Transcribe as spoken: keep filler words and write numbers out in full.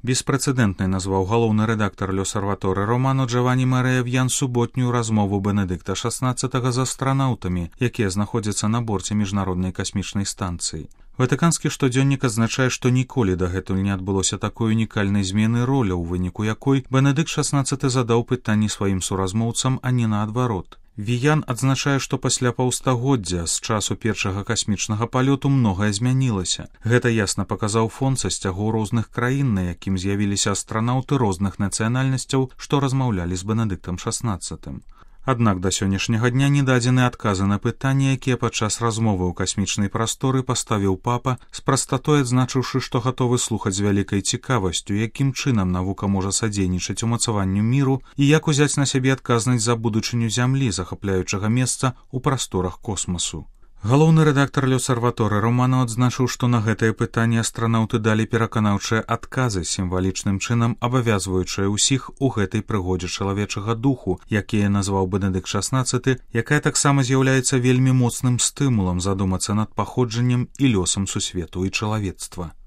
Беспрэцэдэнтнай назваў галоўны рэдактар L'Osservatore Romano Джаванні Марыя В'ян суботнюю размову Бенедыкта шаснаццатага з астранаўтамі, якія знаходзяцца на борце міжнароднай касмічнай станцыі. Ватыканскі штодзённік адзначае, што ніколі дагэтуль не адбылося такой унікальнай змены роля, у выніку якой Бенедыкт шаснаццаты задаў пытанні сваім суразмоўцам, а не наадварот. Віян адзначае, што пасля паўстагоддзя з часу першага касмічнага палёту многае змянілася. Гэта ясна паказаў фон са сцягоў розных краін, на якім з'явіліся астранаўты розных нацыянальнасцяў, што размаўлялі з Бенедыктам шаснаццатым. Аднак да сённяшняга дня не дадзены адказы на пытанні, якія падчас размовы ў касмічнай прасторы паставіў папа, з прастатой адзначыўшы, што гатовы слухаць з вялікай цікавасцю, якім чынам навука можа садзейнічаць умацаванню міру і як узяць на сябе адказнасць за будучыню зямлі, захапляючага месца ў прасторах космасу. Галоўны рэдактар L'Osservatore Romano адзначыў, што на гэтае пытанне астранаўты далі пераканаўчыя адказы, сімвалічным чынам абавязваючыя ўсіх у гэтай прыгодзе чалавечага духу, якія назваў Бенедыкт шаснаццаты, якая таксама з'яўляецца вельмі моцным стымулам задумацца над паходжаннем і лёсам сусвету і чалавецтва.